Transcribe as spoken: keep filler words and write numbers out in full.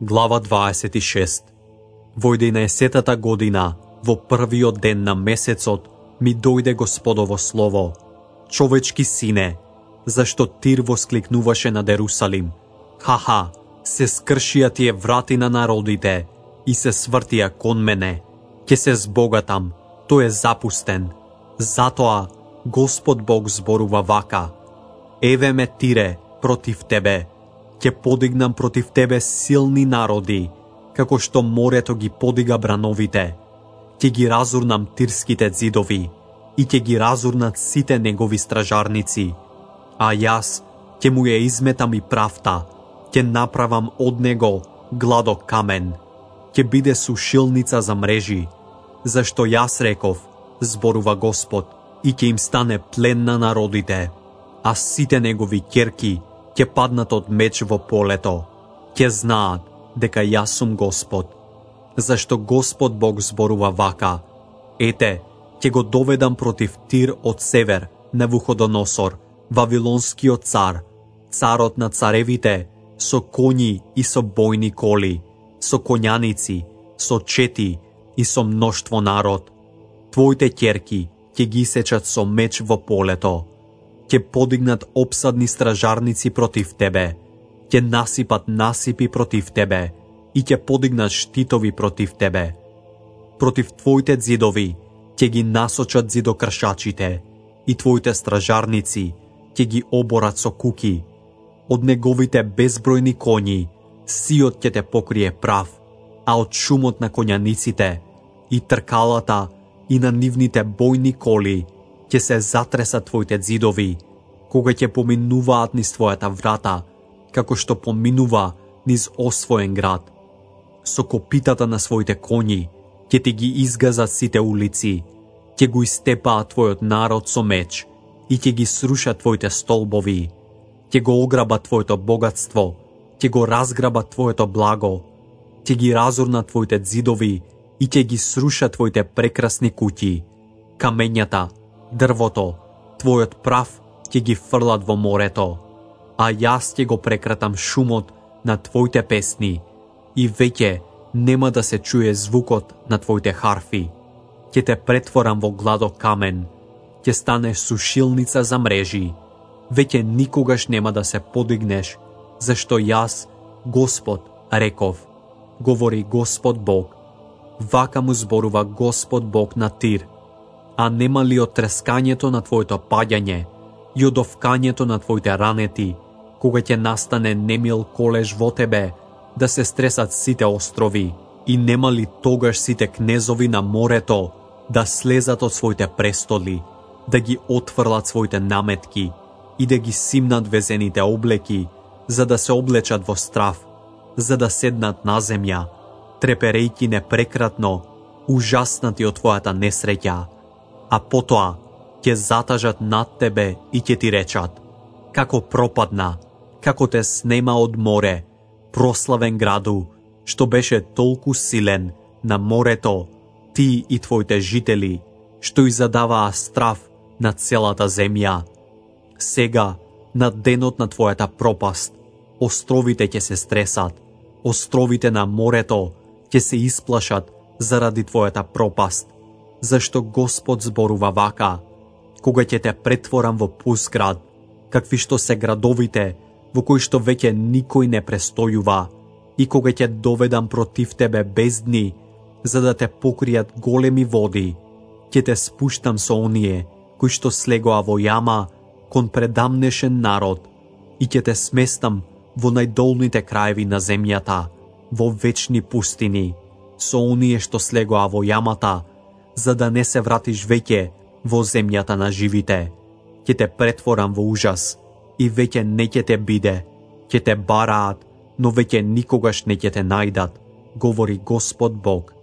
Глава дваесет и шеста. Во единаесеттата година, во првиот ден на месецот, ми дојде Господово слово: човечки сине, зашто Тир воскликнуваше над Ерусалим: ха-ха, се скршија тие врати на народите и се свртија кон мене. Ке се збогатам, тој е запустен. Затоа Господ Бог зборува вака: еве ме, Тире, против тебе. Ќе подигнам против тебе силни народи, како што морето ги подига брановите. Ќе ги разурнам тирските ѕидови и ќе ги разурнат сите негови стражарници. А јас ќе му ја изметам и правта, ќе направам од него гладок камен. Ќе биде сушилница за мрежи, зашто јас реков, зборува Господ, и ќе им стане плен на народите, а сите негови ќерки ќе паднат од меч во полето. Ќе знаат дека јас сум Господ. Зашто Господ Бог зборува вака: ете, ќе го доведам против Тир од север Навуходоносор, Вавилонскиот цар, царот на царевите, со коњи и со бојни коли, со коњаници, со чети и со мноштво народ. Твоите ќерки ќе ги сечат со меч во полето. Ќе подигнат обсадни стражарници против тебе, ќе насипат насипи против тебе и ќе подигнат штитови против тебе. Против твоите ѕидови ќе ги насочат ѕидокршачите и твоите стражарници ќе ги оборат со куки. Од неговите безбројни коњи сиот ќе те покрие прав, а од шумот на коњаниците и тркалата и на нивните бојни коли ќе се затресат твоите ѕидови, кога ќе поминуваат низ твојата врата, како што поминува низ освоен град. Со копитата на своите коњи ќе ти ги изгазат сите улици, ќе го истепаат твојот народ со меч и ќе ги срушат твоите столбови, ќе го ограбат твоето богатство, ќе го разграбат твоето благо, ќе ги разурнат твоите ѕидови и ќе ги срушат твоите прекрасни куќи. Камењата, дрвото, твојот прав ќе ги фрлат во морето, а јас ќе го прекратам шумот на твоите песни и веќе нема да се чуе звукот на твоите харфи. Ќе те претворам во гладок камен, ќе станеш сушилница за мрежи. Веќе никогаш нема да се подигнеш, зашто јас, Господ, реков, говори Господ Бог. Вака му зборува Господ Бог на Тир: а нема ли од трескањето на твоето паѓање и од овкањето на твоите ранети, кога ќе настане немил колеж во тебе, да се стресат сите острови, и нема ли тогаш сите кнезови на морето да слезат од своите престоли, да ги отфрлат своите наметки и да ги симнат везените облеки, за да се облечат во страв, за да седнат на земја, треперејки непрекратно, ужаснати од твојата несреќа, а потоа ќе затажат над тебе и ќе ти речат: како пропадна, како те снема од море, прославен граду, што беше толку силен на морето, ти и твоите жители, што и задаваа страв на целата земја. Сега, на денот на твојата пропаст, островите ќе се стресат, островите на морето ќе се исплашат заради твојата пропаст, зашто Господ зборува вака: кога ќе те претворам во пуст град, какви што се градовите во кои што веќе никој не престојува, и кога ќе доведам против тебе бездни, за да те покријат големи води, ќе те спуштам со оние кои што слегоа во јама кон предамнешен народ, и ќе те сместам во најдолните краеви на земјата, во вечни пустини, со оние што слегоа во јамата, за да не се вратиш веќе во земјата на живите. Ќе те претворам во ужас и веќе не ќе те биде, ќе те бараат, но веќе никогаш не ќе те најдат, говори Господ Бог.